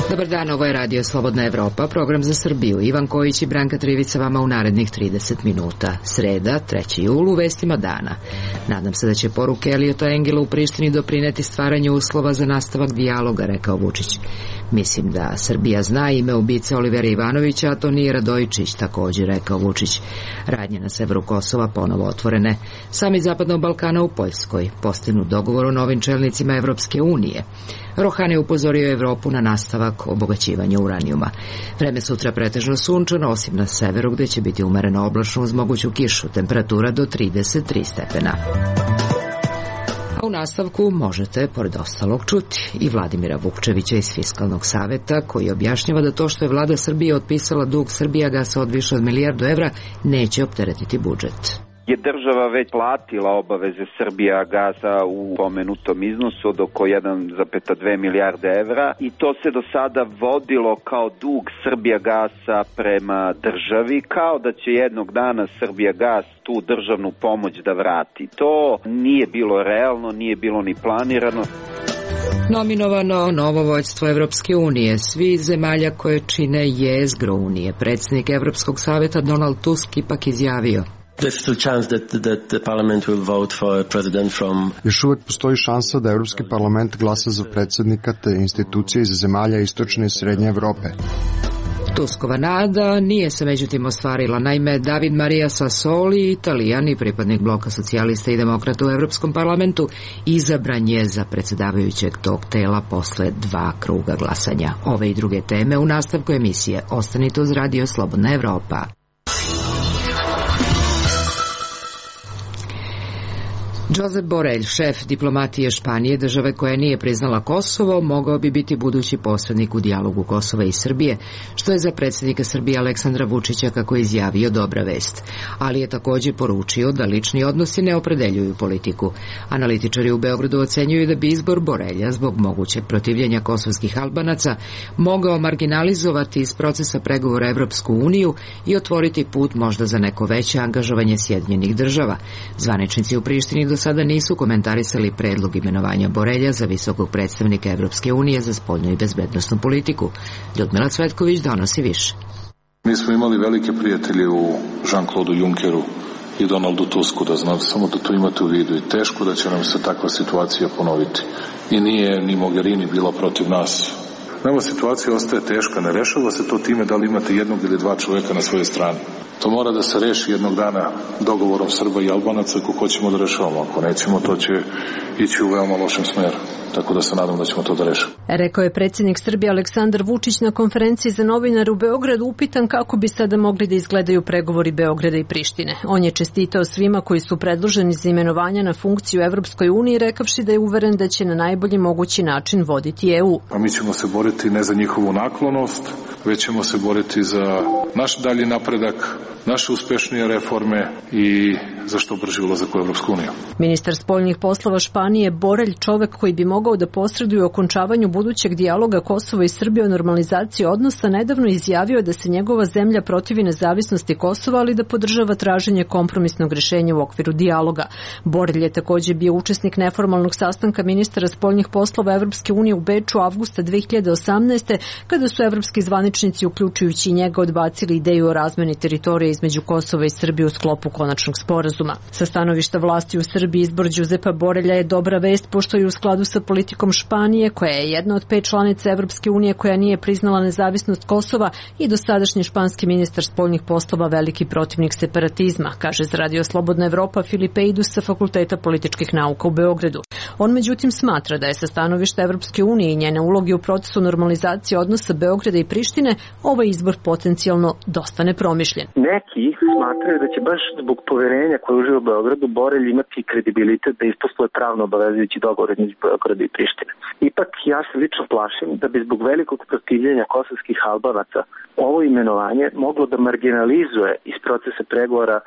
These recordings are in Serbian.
Dobar dan, ovo je Radio Slobodna Evropa, program za Srbiju. Ivan Kojić i Branka Trivica vama u narednih 30 minuta. Sreda, 3. jul, u vestima dana. Nadam se da će poruke Eliota Engela u Prištini doprineti stvaranju uslova za nastavak dijaloga, rekao Vučić. Mislim da Srbija zna ime ubice Olivera Ivanovića, a to nije Radojičić, također rekao Vučić. Radnje na severu Kosova ponovo otvorene. Samit Zapadnog Balkana u Poljskoj. Postignut dogovor o novim čelnicima Evropske unije. Rohani upozorio Evropu na nastavak obogaćivanja uranijuma. Vreme sutra pretežno sunčano, osim na severu gde će biti umereno oblačno uz moguću kišu, temperatura do 33 stepena. A u nastavku možete, pored ostalog, čuti i Vladimira Vukčevića iz Fiskalnog saveta, koji objašnjava da to što je vlada Srbije otpisala dug Srbijagasa od više od $1 milijardu neće opteretiti budžet. Je država već platila obaveze Srbijagasa u pomenutom iznosu od oko 1,2 milijarde evra i to se do sada vodilo kao dug Srbijagasa prema državi, kao da će jednog dana Srbijagas tu državnu pomoć da vrati. To nije bilo realno, nije bilo ni planirano. Nominovano novo vođstvo Evropske unije, svi zemalja koje čine jezgro unije. Predsjednik Evropskog saveta Donald Tusk ipak izjavio: Još uvek postoji šansa da Evropski parlament glasa za predsjednika te institucije iz zemalja istočne i srednje Evrope. Tuskova nada nije se međutim ostvarila. Naime, David Maria Sassoli, Italijan i pripadnik bloka socijalista i demokrata u Evropskom parlamentu, izabran je za predsjedavajućeg tog tela posle 2 kruga glasanja. Ove i druge teme u nastavku emisije. Ostanite uz Radio Slobodna Evropa. Josep Borrell, šef diplomatije Španije, države koja nije priznala Kosovo, mogao bi biti budući posrednik u dijalogu Kosova i Srbije, što je za predsjednika Srbije Aleksandra Vučića, kako je izjavio, dobra vest. Ali je također poručio da lični odnosi ne opredeljuju politiku. Analitičari u Beogradu ocenjuju da bi izbor Borrella zbog mogućeg protivljenja kosovskih Albanaca mogao marginalizovati iz procesa pregovora Evropsku uniju i otvoriti put možda za neko veće angažovanje Sjedinjenih država. Zvaničnici u Prištini do sada nisu komentarisali predlog imenovanja Borrella za visokog predstavnika Evropske unije za spoljnu i bezbednosnu politiku. Ljudmila Cvetković donosi više. Mi smo imali velike prijatelje u Jean-Claude Junckeru i Donaldu Tusku, da znate, samo da to imate u vidu, i teško da će nam se takva situacija ponoviti. I nije ni Mogherini bila protiv nas. Ova situacija ostaje teška, ne rešava se to time da li imate jednog ili 2 čovjeka na svojoj strani. To mora da se reši jednog dana dogovorom Srba i Albanaca ako hoćemo da rešavamo. Ako nećemo, to će ići u veoma lošem smeru. Tako da se nadam da ćemo to da rešimo. Rekao je predsjednik Srbije Aleksandar Vučić na konferenciji za novinare u Beogradu, upitan kako bi sada mogli da izgledaju pregovori Beograda i Prištine. On je čestitao svima koji su predloženi za imenovanja na funkciju Evropskoj uniji, rekavši da je uveren da će na najbolji mogući način voditi EU. A mi ćemo se boriti ne za njihovu naklonost, već ćemo se boriti za naš dalji napredak, naše uspešnije reforme i za što brži ulazak u Evropsku uniju. Ministar spoljnih poslova Španije Borrell, čovek koji bi mogao da posreduje u okončavanju budućeg dijaloga Kosova i Srbije o normalizaciji odnosa, nedavno izjavio da se njegova zemlja protivi nezavisnosti Kosova, ali da podržava traženje kompromisnog rešenja u okviru dijaloga. Borrell je također bio učesnik neformalnog sastanka ministara spoljnih poslova Evropske unije u Beču avgusta 2018. kada su evropski zvaničnici, uključujući i njega, odbacili ideju o razmeni teritorije između Kosova i Srbije u sklopu konačnog sporazuma. Sa stanovišta vlasti u Srbiji izbor Josepa Borrella je dobra vest, pošto je u skladu sa politikom Španije, koja je jedna od 5 članica Evropske unije koja nije priznala nezavisnost Kosova, i dosadašnji španski ministar spoljnih poslova veliki protivnik separatizma, kaže za Radio Slobodna Evropa Filipe Idus sa Fakulteta političkih nauka u Beogradu. On međutim smatra da je sa stanovišta Evropske unije i njene uloge u procesu normalizacije odnosa Beograda i Prištine ovaj izbor potencijalno dosta nepromišljen. Neki smatraju da će baš zbog poverenja koje uživa u Beogradu Borrell imati kredibilitet da isposluje pravno obavezujući dogovor između Beograda i Prištine. Ipak ja se lično plašim da bi zbog velikog protivljenja kosovskih Albanaca ovo imenovanje moglo da marginalizuje iz procesa pregovora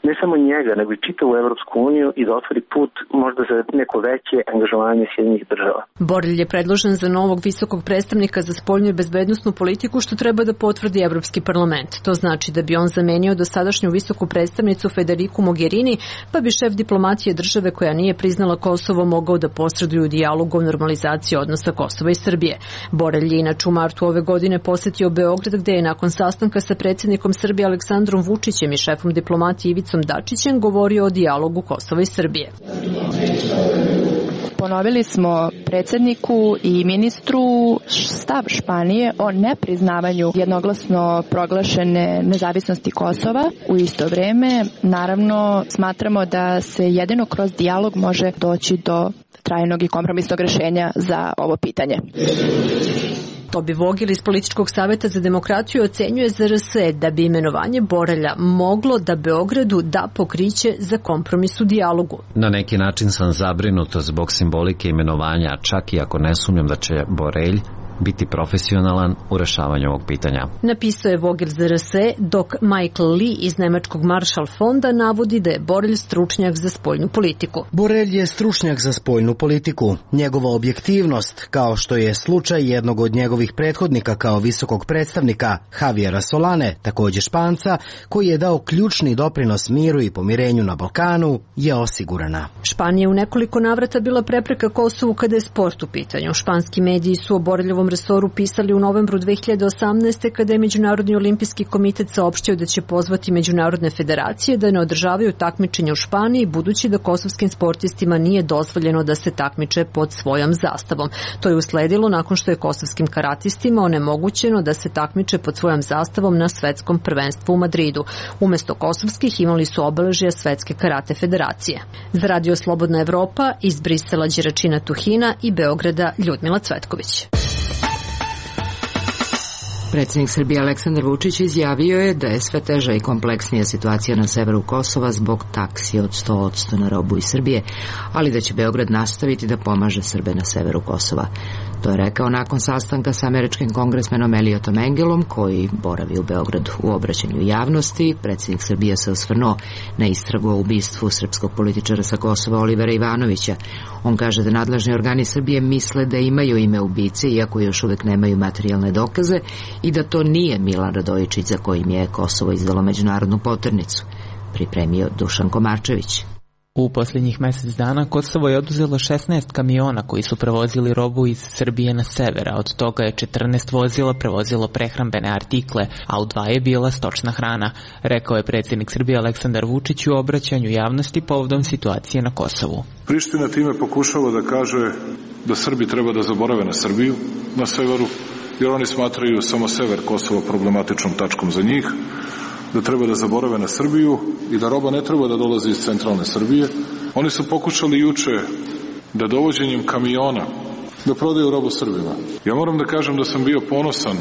ne samo njega, nego i čitavu Evropsku uniju i da otvori put možda za neko veće angažovanje Sjedinjenih država. Borelj je predložen za novog visokog predstavnika za spoljnu i bezbednosnu politiku, što treba da potvrdi Evropski parlament. To znači da bi on zamenio dosadašnju visoku predstavnicu Federiku Mogherini, pa bi šef diplomatije države koja nije priznala Kosovo mogao da posreduje u dijalogu o normalizaciji odnosa Kosova i Srbije. Borelj je inače u martu ove godine posetio Beograd, gde je nakon sastanka sa predsjednikom Srbije Aleksandrom Vučićem i šefom diplomatije Ivicom Dačićem govorio o dijalogu Kosova i Srbije. Ponovili smo predsjedniku i ministru stav Španije o nepriznavanju jednoglasno proglašene nezavisnosti Kosova. U isto vrijeme, naravno, smatramo da se jedino kroz dijalog može doći do trajnog i kompromisnog rješenja za ovo pitanje. Tobi Vogel iz Političkog savjeta za demokratiju ocenjuje ZRS da bi imenovanje Borelja moglo da Beogradu da pokriće za kompromis u dijalogu. Na neki način sam zabrinuto zbog simbolike imenovanja, čak i ako ne sumnjam da će Borelj biti profesionalan u rešavanju ovog pitanja. Napisao je Vogel ZRS, dok Michael Lee iz Nemačkog Marshall fonda navodi da je Borelj stručnjak za spoljnu politiku. Borelj je stručnjak za spoljnu politiku. Njegova objektivnost, kao što je slučaj jednog od njegovih prethodnika kao visokog predstavnika, Javiera Solane, također Španca, koji je dao ključni doprinos miru i pomirenju na Balkanu, je osigurana. Španija u nekoliko navrata bila prepreka Kosovu kada je sport u pitanju. Španski mediji su o Boreljevom resoru pisali u novembru 2018. kada je Međunarodni olimpijski komitet saopštio da će pozvati međunarodne federacije da ne održavaju takmičenja u Španiji, budući da kosovskim sportistima nije dozvoljeno da se takmiče pod svojom zastavom. To je usledilo nakon što je kosovskim karatistima onemogućeno da se takmiče pod svojom zastavom na svetskom prvenstvu u Madridu. Umesto kosovskih imali su obeležja Svetske karate federacije. Za Radio Slobodna Evropa iz Brisela Đeračina Tuhina i Beograda Ljudmila Cvetković. Predsjednik Srbije Aleksandar Vučić izjavio je da je sve teža i kompleksnija situacija na severu Kosova zbog taksi od 100% na robu iz Srbije, ali da će Beograd nastaviti da pomaže Srbe na severu Kosova. To je rekao nakon sastanka sa američkim kongresmenom Elliotom Engelom, koji boravi u Beogradu. U obraćanju javnosti predsjednik Srbije se osvrnuo na istragu o ubistvu srpskog političara sa Kosova Olivera Ivanovića. On kaže da nadležni organi Srbije misle da imaju ime ubice, iako još uvek nemaju materijalne dokaze, i da to nije Milan Radojičić za kojim je Kosovo izdalo međunarodnu poternicu. Pripremio Dušan Komarčević. U posljednjih mjesec dana Kosovo je oduzelo 16 kamiona koji su prevozili robu iz Srbije na sever, a od toga je 14 vozila prevozilo prehrambene artikle, a u 2 je bila stočna hrana, rekao je predsjednik Srbije Aleksandar Vučić u obraćanju javnosti povodom situacije na Kosovu. Priština time pokušava da kaže da Srbi treba da zaborave na Srbiju na severu, jer oni smatraju samo sever Kosova problematičnom tačkom za njih, da treba da zaborave na Srbiju i da roba ne treba da dolazi iz centralne Srbije. Oni su pokušali juče da dovođenjem kamiona da prodaju robu Srbima. Ja moram da kažem da sam bio ponosan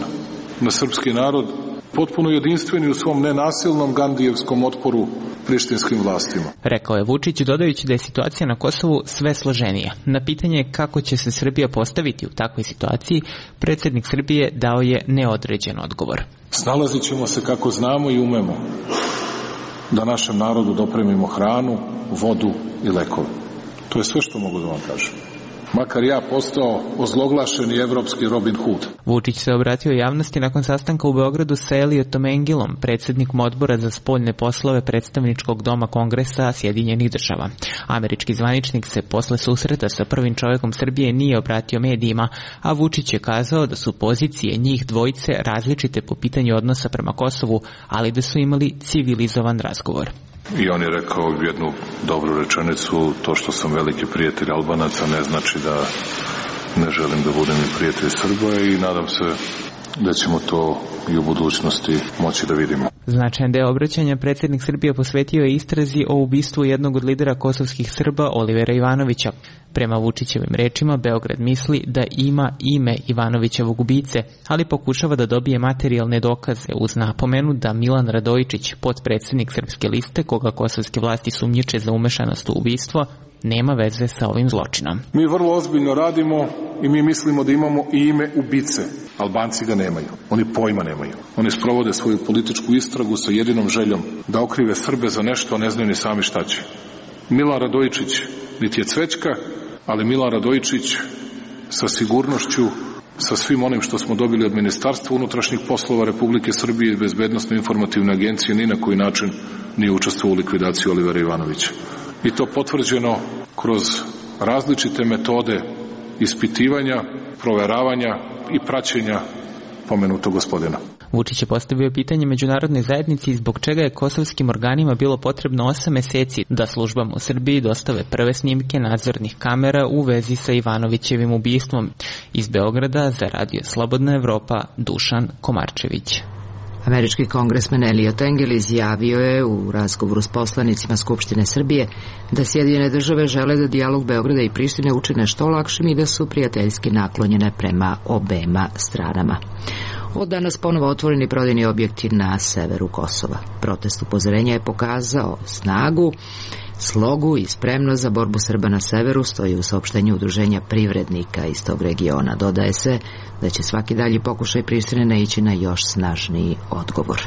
na srpski narod, potpuno jedinstveni u svom nenasilnom gandijevskom otporu prištinskim vlastima. Rekao je Vučić, dodajući da je situacija na Kosovu sve složenija. Na pitanje kako će se Srbija postaviti u takvoj situaciji, predsjednik Srbije dao je neodređen odgovor. Snalazit ćemo se kako znamo i umemo da našem narodu dopremimo hranu, vodu i lekove. To je sve što mogu da vam kažem. Makar ja postao ozloglašeni evropski Robin Hood. Vučić se obratio javnosti nakon sastanka u Beogradu sa Elliotom Engelom, predsjednikom odbora za spoljne poslove predstavničkog doma Kongresa Sjedinjenih država. Američki zvaničnik se posle susreta sa prvim čovjekom Srbije nije obratio medijima, a Vučić je kazao da su pozicije njih dvojice različite po pitanju odnosa prema Kosovu, ali da su imali civilizovan razgovor. I on je rekao jednu dobru rečenicu: to što sam veliki prijatelj Albanaca ne znači da ne želim da budem i prijatelj Srba, i nadam se da ćemo to i u budućnosti moći da vidimo. Značajan deo obraćanja predsjednik Srbije posvetio je istrazi o ubistvu jednog od lidera kosovskih Srba, Olivera Ivanovića. Prema Vučićevim rečima, Beograd misli da ima ime Ivanovićevog ubice, ali pokušava da dobije materijalne dokaze, uz napomenu da Milan Radojičić, potpredsjednik Srpske liste, koga kosovske vlasti sumnjiče za umešanost u ubistvo, nema veze sa ovim zločinom. Mi vrlo ozbiljno radimo i mi mislimo da imamo i ime ubice. Albanci ga nemaju. Oni pojma nemaju. Oni sprovode svoju političku istragu sa jedinom željom da okrive Srbe za nešto, a ne znaju ni sami šta će. Milan Radojičić niti je cvećka, ali Milan Radojičić sa sigurnošću, sa svim onim što smo dobili od Ministarstva unutrašnjih poslova Republike Srbije i Bezbednosno-informativne agencije, ni na koji način nije učestvovao u likvidaciji Olivera Ivanovića. I to potvrđeno kroz različite metode ispitivanja, proveravanja i praćenja pomenutog gospodina. Vučić je postavio pitanje međunarodnoj zajednici zbog čega je kosovskim organima bilo potrebno 8 meseci da službama u Srbiji dostave prve snimke nadzornih kamera u vezi sa Ivanovićevim ubistvom. Iz Beograda za Radio Slobodna Evropa, Dušan Komarčević. Američki kongresmen Eliot Engel izjavio je u razgovoru s poslanicima Skupštine Srbije da Sjedinjene države žele da dijalog Beograda i Prištine učine što lakšim i da su prijateljski naklonjene prema obema stranama. Od danas ponovo otvoreni prodajni objekti na severu Kosova. Protest upozorenja je pokazao snagu, slogu i spremnost za borbu Srba na severu, stoji u saopštenju Udruženja privrednika iz tog regiona. Dodaje se da će svaki dalji pokušaj Prištine naići na još snažniji odgovor.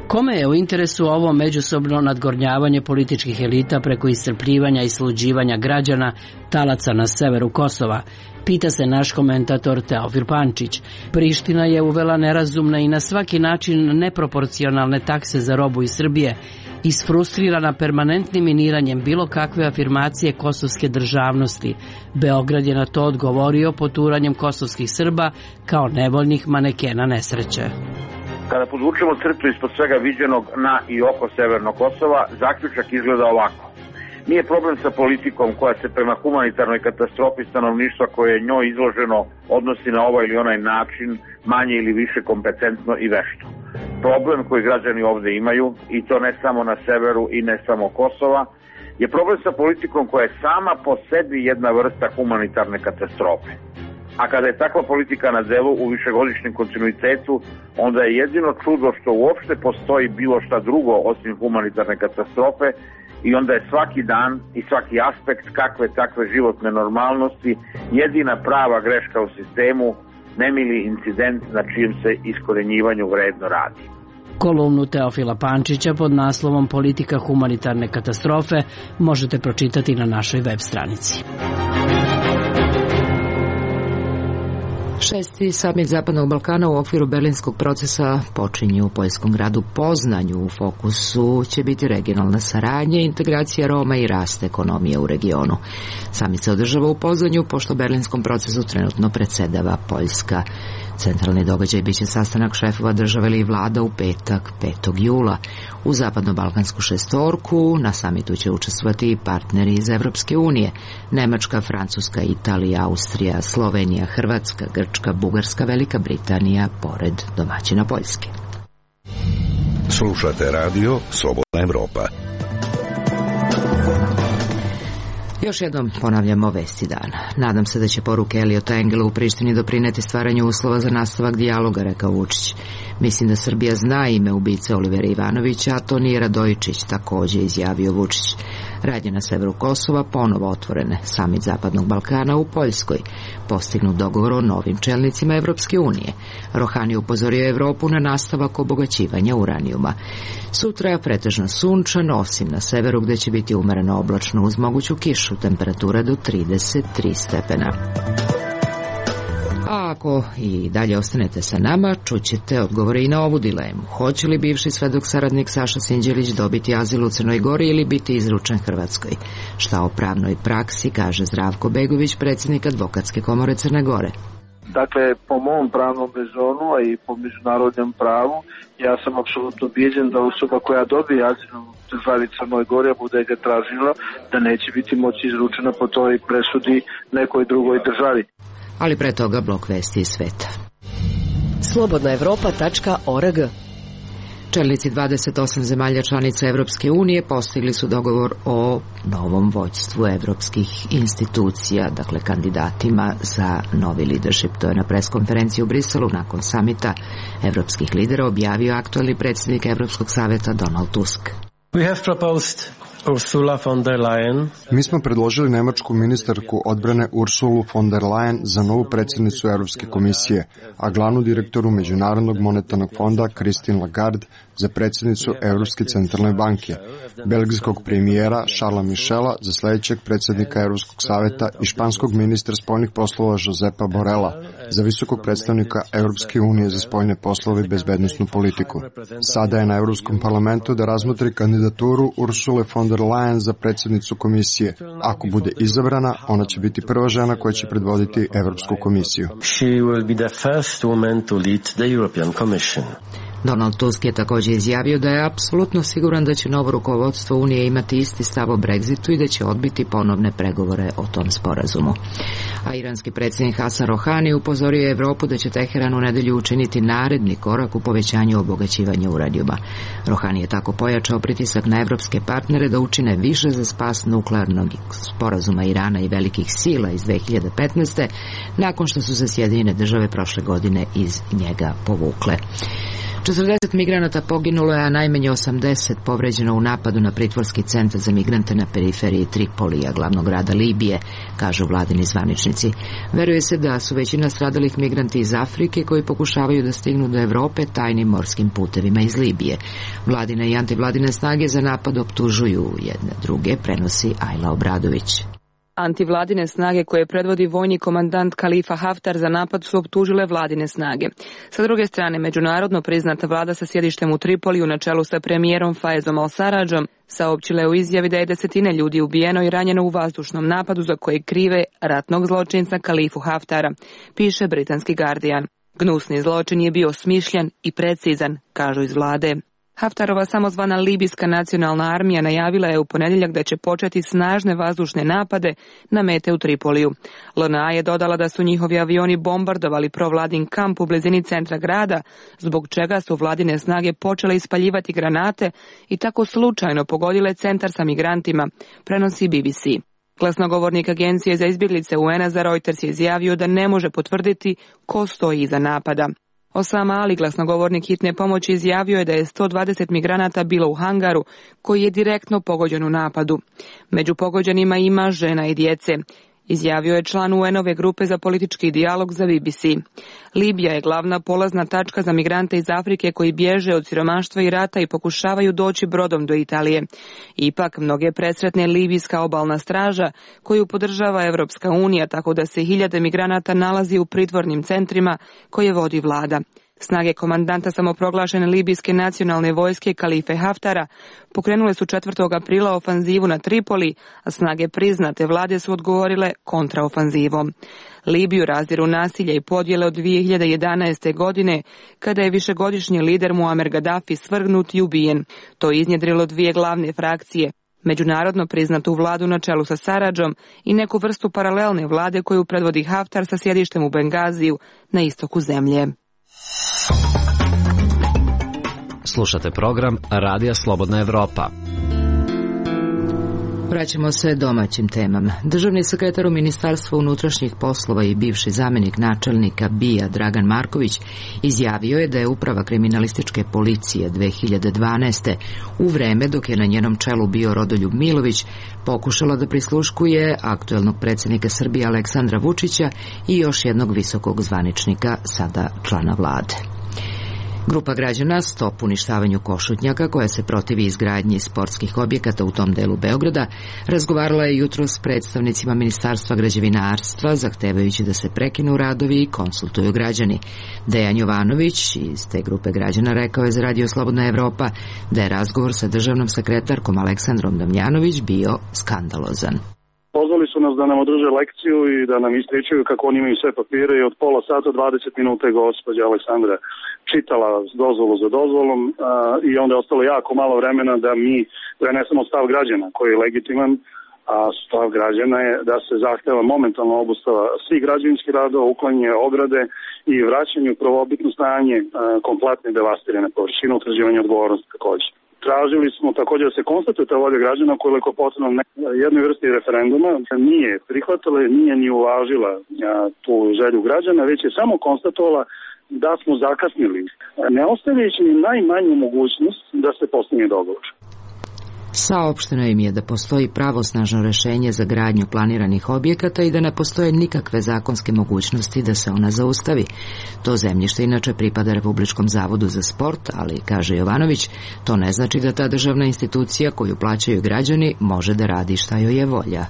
Kome je u interesu ovo međusobno nadgornjavanje političkih elita preko iscrpljivanja i sluđivanja građana, talaca na severu Kosova? Pita se naš komentator Teofil Pančić. Priština je uvela nerazumne i na svaki način neproporcionalne takse za robu iz Srbije, isfrustrirana permanentnim miniranjem bilo kakve afirmacije kosovske državnosti. Beograd je na to odgovorio poturanjem kosovskih Srba kao nevoljnih manekena nesreće. Kada podvučemo crtu ispod svega viđenog na i oko severnog Kosova, zaključak izgleda ovako. Nije problem sa politikom koja se prema humanitarnoj katastrofi stanovništva koje je njoj izloženo odnosi na ovaj ili onaj način manje ili više kompetentno i vešto. Problem koji građani ovde imaju, i to ne samo na severu i ne samo Kosova, je problem sa politikom koja je sama po sebi jedna vrsta humanitarne katastrofe. A kada je takva politika na delu u višegodišnjem kontinuitetu, onda je jedino čudo što uopšte postoji bilo šta drugo osim humanitarne katastrofe i onda je svaki dan i svaki aspekt kakve takve životne normalnosti jedina prava greška u sistemu, nemili incident na čijem se iskorenjivanju vredno radi. Kolumnu Teofila Pančića pod naslovom Politika humanitarne katastrofe možete pročitati na našoj web stranici. 6. samit Zapadnog Balkana u okviru berlinskog procesa počinje u poljskom gradu Poznanju. U fokusu će biti regionalna saradnja, integracija Roma i rast ekonomije u regionu. Samit se održava u Poznanju pošto berlinskom procesu trenutno predsedava Poljska. Centralni događaj biće sastanak šefova države ili vlada u petak 5. jula. U zapadno-balkansku šestorku na samitu će učestvovati i partneri iz Evropske unije: Nemačka, Francuska, Italija, Austrija, Slovenija, Hrvatska, Grčka, Bugarska, Velika Britanija, pored domaćina Poljske. Slušate radio Slobodna Evropa. Još jednom ponavljamo vesti dana. Nadam se da će poruke Eliota Engela u Prištini doprineti stvaranju uslova za nastavak dijaloga, rekao Vučić. Mislim da Srbija zna ime ubice Olivera Ivanovića, a to nije Radojičić, takođe izjavio Vučić. Radnje na severu Kosova ponovo otvorene. Samit Zapadnog Balkana u Poljskoj. Postignut dogovor o novim čelnicima Evropske unije. Rohani upozorio Evropu na nastavak obogaćivanja uranijuma. Sutra je pretežno sunčano, osim na severu gde će biti umereno oblačno uz moguću kišu, temperatura do 33 stepena. A ako i dalje ostanete sa nama, čućete odgovore i na ovu dilemu. Hoće li bivši svedok saradnik Saša Sinđelić dobiti azil u Crnoj Gori ili biti izručen Hrvatskoj? Šta o pravnoj praksi kaže Zdravko Begović, predsjednik Advokatske komore Crne Gore? Dakle, po mom pravnom rezonu, a i po međunarodnom pravu, ja sam apsolutno ubijeđen da osoba koja dobije azil u državi Crnoj Gori, a bude ga tražila, da neće biti moći izručena po toj presudi nekoj drugoj državi. Ali pre toga blok vesti iz sveta. Slobodnaevropa.org. Čelnici 28 zemalja članica Evropske unije postigli su dogovor o novom vođstvu evropskih institucija, dakle kandidatima za novi leadership. To je na preskonferenciji u Briselu nakon samita evropskih lidera objavio aktualni predsjednik Evropskog saveta Donald Tusk. We have proposed Ursula von der Leyen. Mi smo predložili nemačku ministarku odbrane Ursulu von der Leyen za novu predsjednicu Europske komisije, a glavnu direktoru Međunarodnog monetarnog fonda Christine Lagarde za predsjednicu Europske centralne banke, belgijskog premijera Charlesa Michela za sljedećeg predsjednika Europskog savjeta i španskog ministra spoljnih poslova Josepa Borrella za visokog predstavnika Europske unije za spoljne poslove i bezbednosnu politiku. Sada je na Europskom parlamentu da razmotri kandidaturu Ursule von der Leyen za predsjednicu komisije. Ako bude izabrana, ona će biti prva žena koja će predvoditi Europsku komisiju. She will be the first woman to lead the European Commission. Donald Tusk je također izjavio da je apsolutno siguran da će novo rukovodstvo Unije imati isti stav o Brexitu i da će odbiti ponovne pregovore o tom sporazumu. A iranski predsjednik Hasan Rohani upozorio je Evropu da će Teheran u nedelju učiniti naredni korak u povećanju obogaćivanja uranijuma. Rohani je tako pojačao pritisak na evropske partnere da učine više za spas nuklearnog sporazuma Irana i velikih sila iz 2015. nakon što su se Sjedinjene države prošle godine iz njega povukle. 40 migranata poginulo je, a najmanje 80 povređeno u napadu na pritvorski centar za migrante na periferiji Tripolija, glavnog grada Libije, kažu vladini zvaničnici. Veruje se da su većina stradalih migranti iz Afrike koji pokušavaju da stignu do Evrope tajnim morskim putevima iz Libije. Vladine i antivladine snage za napad optužuju jedne druge, prenosi Ajla Obradović. Antivladine snage koje predvodi vojni komandant Khalifa Haftar za napad su optužile vladine snage. Sa druge strane, međunarodno priznata vlada sa sjedištem u Tripoliju na čelu sa premijerom Faezom al-Sarradžom saopćila je u izjavi da je desetine ljudi ubijeno i ranjeno u vazdušnom napadu za koje krive ratnog zločinca Khalifu Haftara, piše britanski Guardian. Gnusni zločin je bio smišljen i precizan, kažu iz vlade. Haftarova samozvana Libijska nacionalna armija najavila je u ponedjeljak da će početi snažne vazdušne napade na mete u Tripoliju. LNA je dodala da su njihovi avioni bombardovali provladin kamp u blizini centra grada, zbog čega su vladine snage počele ispaljivati granate i tako slučajno pogodile centar sa migrantima, prenosi BBC. Glasnogovornik Agencije za izbjeglice UN-a za Reuters je izjavio da ne može potvrditi ko stoji iza napada. Osama Ali, glasnogovornik hitne pomoći, izjavio je da je 120 migranata bilo u hangaru koji je direktno pogođen u napadu. Među pogođenima ima žena i djece, izjavio je član UN-ove grupe za politički dijalog za BBC. Libija je glavna polazna tačka za migrante iz Afrike koji bježe od siromaštva i rata i pokušavaju doći brodom do Italije. Ipak, mnoge presretne libijska obalna straža koju podržava Evropska unija, tako da se hiljade migranata nalazi u pritvornim centrima koje vodi vlada. Snage komandanta samoproglašene libijske nacionalne vojske Khalife Haftara pokrenule su 4. aprila ofanzivu na Tripoli, a snage priznate vlade su odgovorile kontraofanzivom. Libiju razdiru nasilje i podjele od 2011. godine, kada je višegodišnji lider Muammar Gaddafi svrgnut i ubijen. To je iznjedrilo dvije glavne frakcije, međunarodno priznatu vladu na čelu sa Sarradžom i neku vrstu paralelne vlade koju predvodi Haftar sa sjedištem u Bengaziju na istoku zemlje. Slušate program Radija Slobodna Evropa. Vraćamo se domaćim temama. Državni sekretar u Ministarstvu unutrašnjih poslova i bivši zamjenik načelnika BIA Dragan Marković izjavio je da je uprava kriminalističke policije 2012. u vreme dok je na njenom čelu bio Rodoljub Milović pokušala da prisluškuje aktuelnog predsjednika Srbije Aleksandra Vučića i još jednog visokog zvaničnika, sada člana vlade. Grupa građana Stop uništavanju Košutnjaka, koja se protivi izgradnji sportskih objekata u tom delu Beograda, razgovarala je jutros s predstavnicima Ministarstva građevinarstva, zahtevajući da se prekinu radovi i konsultuju građani. Dejan Jovanović iz te grupe građana rekao je za Radio Slobodna Evropa da je razgovor sa državnom sekretarkom Aleksandrom Damjanović bio skandalozan. Pozvali su nas da nam održe lekciju i da nam ispričaju kako oni imaju sve papire i od pola sata 20 minuta je gospođa Aleksandra čitala dozvolu za dozvolom i onda je ostalo jako malo vremena da mi prenesemo stav građana koji je legitiman, a stav građana je da se zahteva momentalna obustava svih građevinskih radova, uklanjanje ograde i vraćanje u prvobitno stanje kompletne devastirane površine, utvrđivanje odgovornosti također. Tražili smo također da se konstatuje ta volja građana koliko je potrebno jednoj vrsti referenduma, nije prihvatila, nije ni uvažila tu želju građana, već je samo konstatovala da smo zakasnili, ne ostavljajući ni najmanju mogućnost da se postigne dogovor. Saopšteno im je da postoji pravosnažno rešenje za gradnju planiranih objekata i da ne postoje nikakve zakonske mogućnosti da se ona zaustavi. To zemljište inače pripada Republičkom zavodu za sport, ali, kaže Jovanović, to ne znači da ta državna institucija koju plaćaju građani može da radi šta joj je volja.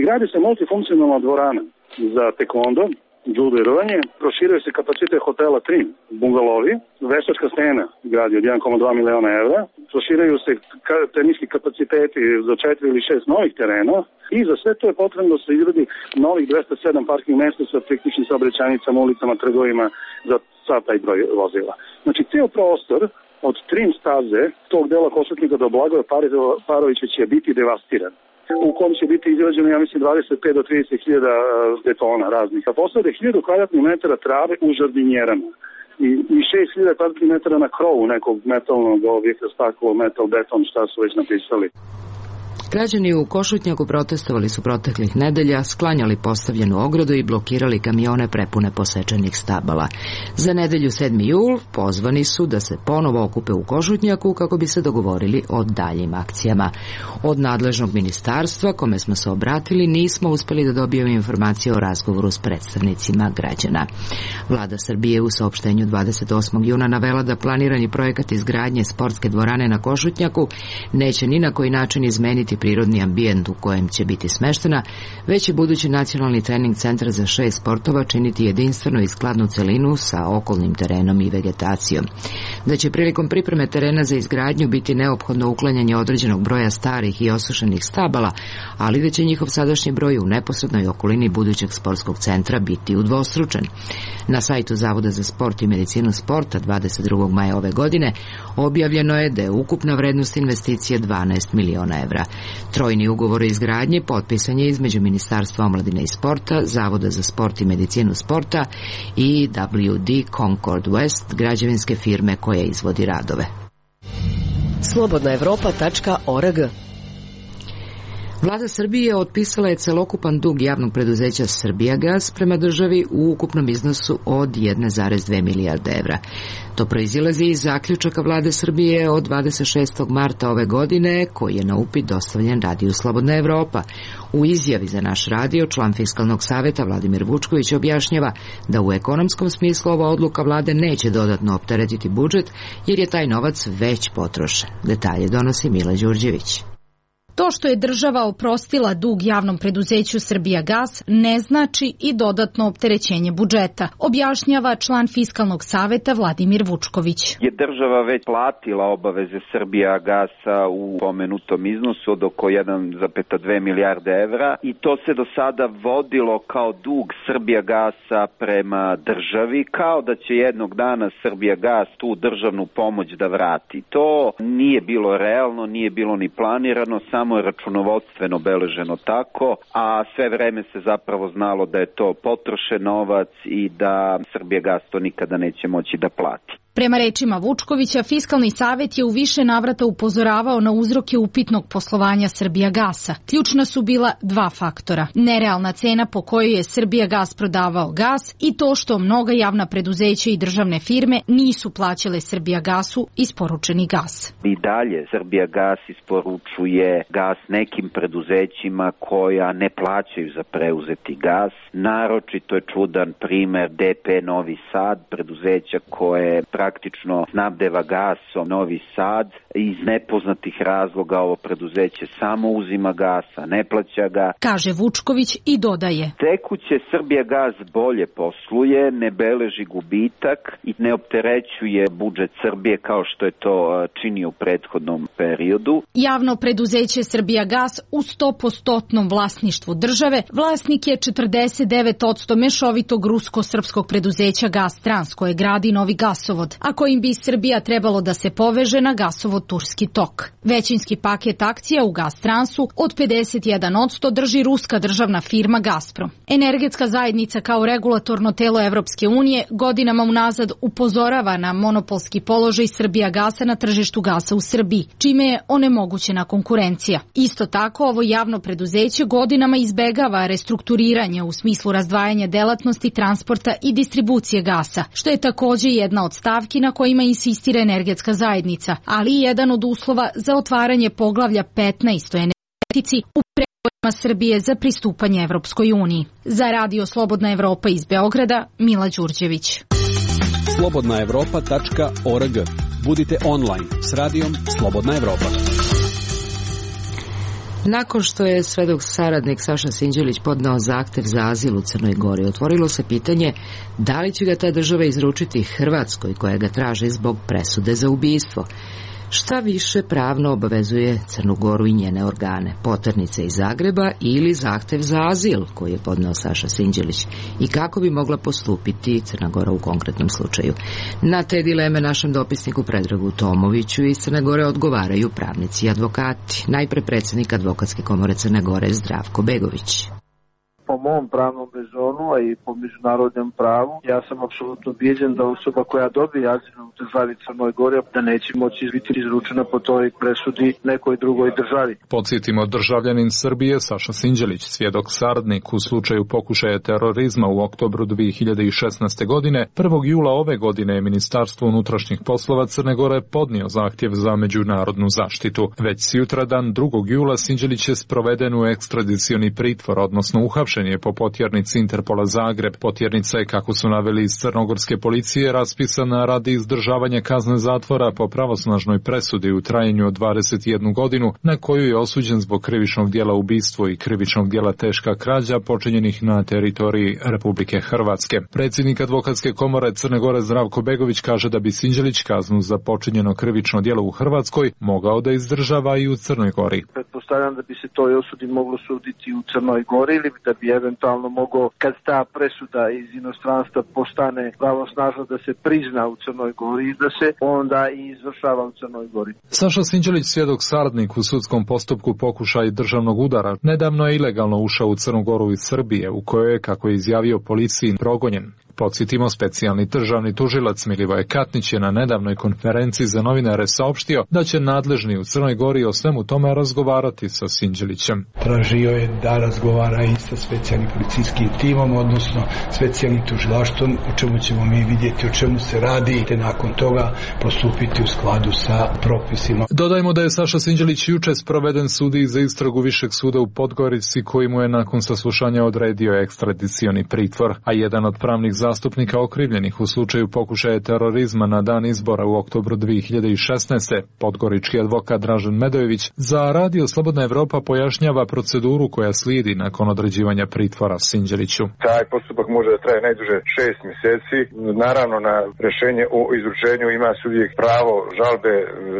Gradi se multifunkcionalna dvorana za taekwondo, judo i rvanje, proširuje se kapacitet hotela Trim, bungalovi, veštačka scena gradi od 1,2 miliona evra, proširuju se teniski kapaciteti za 4 ili 6 novih terena i za sve to je potrebno da se izgradi novih 207 parking mesta sa priključnim saobraćajnicama, ulicama, trgovima za taj broj vozila. Znači, cijel prostor od Trim staze, tog dela Košutnika do Blagoja Parovića će biti devastiran, u kom će biti izgrađeno, ja mislim, 25 do 30 hiljada betona raznih. A posade 1000 kvadratnih metara trave u žardinjerama i 6000 kvadratnih metara na krovu nekog metalnog objekta, staklo, metal, beton, šta su već napisali. Građani u Košutnjaku protestovali su proteklih nedelja, sklanjali postavljenu ogradu i blokirali kamione prepune posečenih stabala. Za nedelju 7. jul pozvani su da se ponovo okupe u Košutnjaku kako bi se dogovorili o daljim akcijama. Od nadležnog ministarstva, kome smo se obratili, nismo uspeli da dobijemo informacije o razgovoru s predstavnicima građana. Vlada Srbije u saopštenju 28. juna navela da planirani projekat izgradnje sportske dvorane na Košutnjaku neće ni na koji način izmeniti prirodni ambijent u kojem će biti smeštena, već će budući nacionalni trening centar za 6 sportova činiti jedinstvenu i skladnu celinu sa okolnim terenom i vegetacijom. Da će prilikom pripreme terena za izgradnju biti neophodno uklanjanje određenog broja starih i osušenih stabala, ali da će njihov sadašnji broj u neposrednoj okolini budućeg sportskog centra biti udvostručen. Na sajtu Zavoda za sport i medicinu sporta 22. maja ove godine objavljeno je da je ukupna vrednost investicije 12 miliona evra. Trojni ugovor o izgradnji potpisan je između Ministarstva omladine i sporta, Zavoda za sport i medicinu sporta i WD Concord West, građevinske firme koja izvodi radove. Slobodnaevropa.org. Vlada Srbije otpisala je celokupan dug javnog preduzeća Srbijagas prema državi u ukupnom iznosu od 1,2 milijarde evra. To proizilazi iz zaključaka Vlade Srbije od 26. marta ove godine, koji je na upit dostavljen radiju Slobodna Evropa. U izjavi za naš radio član Fiskalnog saveta Vladimir Vučković objašnjava da u ekonomskom smislu ova odluka Vlade neće dodatno opteretiti budžet, jer je taj novac već potrošen. Detalje donosi Mila Đurđević. To što je država oprostila dug javnom preduzeću Srbijagas ne znači i dodatno opterećenje budžeta, objašnjava član Fiskalnog saveta Vladimir Vučković. Je država već platila obaveze Srbijagasa u pomenutom iznosu od oko 1,2 milijarde evra i to se do sada vodilo kao dug Srbijagasa prema državi, kao da će jednog dana Srbijagas tu državnu pomoć da vrati. To nije bilo realno, nije bilo ni planirano, samo je računovodstveno beleženo tako, a sve vreme se zapravo znalo da je to potrošen novac i da Srbijagas to nikada neće moći da plati. Prema rečima Vučkovića, Fiskalni savet je u više navrata upozoravao na uzroke upitnog poslovanja Srbijagasa. Ključna su bila dva faktora. Nerealna cena po kojoj je Srbijagas prodavao gas i to što mnoga javna preduzeća i državne firme nisu plaćale Srbijagasu isporučeni gas. I dalje Srbijagas isporučuje gas nekim preduzećima koja ne plaćaju za preuzeti gas. Naročito je čudan primer DP Novi Sad, preduzeća koje praktično snabdeva gasom Novi Sad. Iz nepoznatih razloga ovo preduzeće samo uzima gasa, ne plaća ga. Kaže Vučković i dodaje. Tekuće Srbijagas bolje posluje, ne beleži gubitak i ne opterećuje budžet Srbije kao što je to činio u prethodnom periodu. Javno preduzeće Srbijagas u 100% vlasništvu države, vlasnik je 49% mešovitog rusko-srpskog preduzeća Gastrans koje gradi novi gasovod, a kojim bi Srbija trebalo da se poveže na gasovod Turski tok. Većinski paket akcija u Gastransu od 51% drži ruska državna firma Gazprom. Energetska zajednica kao regulatorno telo Evropske unije godinama unazad upozorava na monopolski položaj Srbijagasa na tržištu gasa u Srbiji, čime je onemogućena konkurencija. Isto tako, ovo javno preduzeće godinama izbegava restrukturiranje u smislu razdvajanja delatnosti, transporta i distribucije gasa, što je takođe jedna od stavki na kojima insistira energetska zajednica, ali i jedan od uslova za otvaranje poglavlja 15 o energetici u pregovorima Srbije za pristupanje Evropskoj uniji. Za Radio Slobodna Evropa iz Beograda, Mila Đurđević. slobodnaevropa.org. Budite online s radijom Slobodna Evropa. Nakon što je svedok saradnik Saša Sinđelić podneo zahtev za azil u Crnoj Gori, otvorilo se pitanje da li će ga ta država izručiti Hrvatskoj koja ga traži zbog presude za ubistvo. Šta više pravno obavezuje Crnu Goru i njene organe, poternice iz Zagreba ili zahtev za azil koji je podneo Saša Sinđelić i kako bi mogla postupiti Crna Gora u konkretnom slučaju. Na te dileme našem dopisniku Predragu Tomoviću iz Crne Gore odgovaraju pravnici i advokati. Najpre predsjednik Advokatske komore Crne Gore Zdravko Begović. Po mom pravnom rezonu, a i po međunarodnom pravu, ja sam apsolutno ubijeđen da osoba koja dobije azil u državi Crnoj Gori da neće moći biti izručena po toj presudi nekoj drugoj državi. Podsjetimo, državljanin Srbije Saša Sinđelić, svjedok saradnik u slučaju pokušaja terorizma u oktobru 2016. godine, 1. jula ove godine je Ministarstvo unutrašnjih poslova Crne Gore podnio zahtjev za međunarodnu zaštitu. Već sutradan 2. jula Sinđelić je sproveden u ekstradicioni pritvor, odnosno uhapšen je po potjernici Interpola Zagreb. Potjernica je, kako su naveli iz crnogorske policije, raspisana radi izdržavanja kazne zatvora po pravosnažnoj presudi u trajanju od 21 godinu, na koju je osuđen zbog krivičnog djela ubistvo i krivičnog djela teška krađa počinjenih na teritoriji Republike Hrvatske. Predsjednik Advokatske komore Crne Gore Zdravko Begović kaže da bi Sinđelić kaznu za počinjeno krivično djelo u Hrvatskoj mogao da izdržava i u Crnoj Gori. Pretpostavljam da bi se toj osudi moglo suditi u Crnoj Gori ili da bi eventualno mogao, kad ta presuda iz inostranstva postane pravosnažna, da se prizna u Crnoj Gori i da se onda i izvršava u Crnoj Gori. Saša Sinđelić, svjedok saradnik u sudskom postupku pokušaj državnog udara, nedavno je ilegalno ušao u Crnu Goru iz Srbije, u kojoj je, kako je izjavio policiji, progonjen. Podsjetimo, specijalni državni tužilac Milivoje Katnić je na nedavnoj konferenciji za novinare saopštio da će nadležni u Crnoj Gori o svemu tome razgovarati sa Sinđelićem. Tražio je da razgovara i sa specijalnim policijskim timom, odnosno specijalnim tužilaštvom, o čemu ćemo mi vidjeti o čemu se radi, te nakon toga postupiti u skladu sa propisima. Dodajmo da je Saša Sinđelić juče sproveden sudiji za istragu Višeg suda u Podgorici, koji mu je nakon saslušanja odredio ekstradicioni pritvor, a jedan od pravnih zastupnika okrivljenih u slučaju pokušaja terorizma na dan izbora u oktobru 2016. podgorički advokat Dražen Medojević za Radio Slobodna Evropa pojašnjava proceduru koja slijedi nakon određivanja pritvora Sinđeliću. Taj postupak može da traje najduže 6 mjeseci. Naravno, na rješenje o izručenju ima uvijek pravo žalbe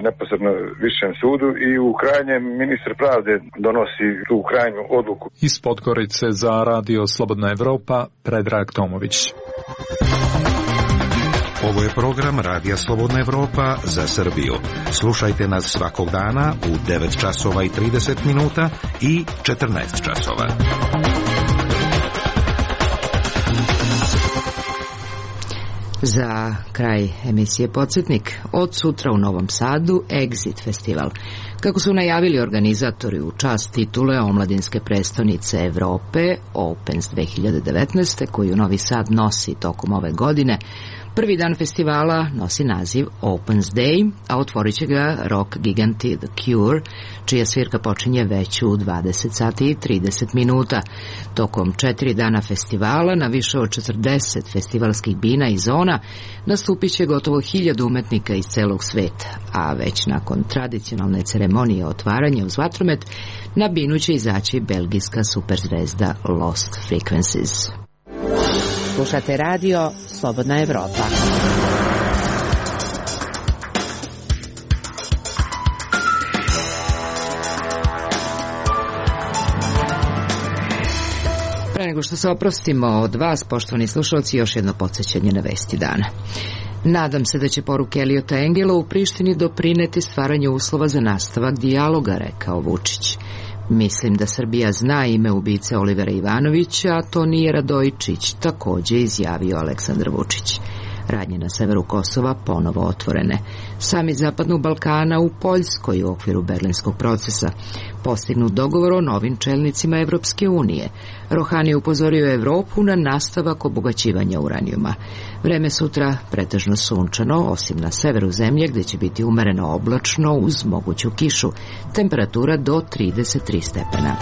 neposredno višem sudu i u krajnjem ministar pravde donosi tu krajnju odluku. Iz Podgorice za Radio Slobodna Evropa Predrag Tomović. Ovo je program Radija Slobodna Evropa za Srbiju. Slušajte nas svakog dana u 9 časova i 30 minuta i 14 časova. Za kraj emisije Podsjetnik, od sutra u Novom Sadu Exit festival. Kako su najavili organizatori u čast titule omladinske prestonice Evrope Opens 2019. koju Novi Sad nosi tokom ove godine, prvi dan festivala nosi naziv Opens Day, a otvorit će ga rock giganti The Cure, čija svirka počinje već u 20 sati i 30 minuta. Tokom 4 dana festivala na više od 40 festivalskih bina i zona nastupit će gotovo 1000 umetnika iz celog sveta, a već nakon tradicionalne ceremonije otvaranja uz vatromet na binu će izaći belgijska superzvezda Lost Frequencies. Slušate radio Slobodna Evropa. Pre nego što se oprostimo od vas, poštovani slušalci, još jedno podsjećanje na vesti dana. Nadam se da će poruke Eliota Engela u Prištini doprineti stvaranju uslova za nastavak dijaloga, rekao Vučić. Mislim da Srbija zna ime ubice Olivera Ivanovića, a to nije Radojičić, također izjavio Aleksandar Vučić. Radnje na severu Kosova ponovo otvorene. Samit Zapadnog Balkana u Poljskoj u okviru berlinskog procesa. postignut dogovor o novim čelnicima Evropske unije. Rohani upozorio Evropu na nastavak obogaćivanja uranijuma. Vreme sutra pretežno sunčano, osim na severu zemlje gdje će biti umereno oblačno uz moguću kišu. Temperatura do 33 stepena.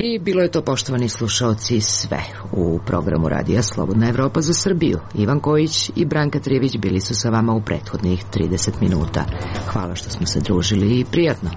I bilo je to, poštovani slušaoci, sve u programu Radija Slobodna Evropa za Srbiju. Ivan Kojić i Branka Trijević bili su sa vama u prethodnih 30 minuta. Hvala što smo se družili i prijatno.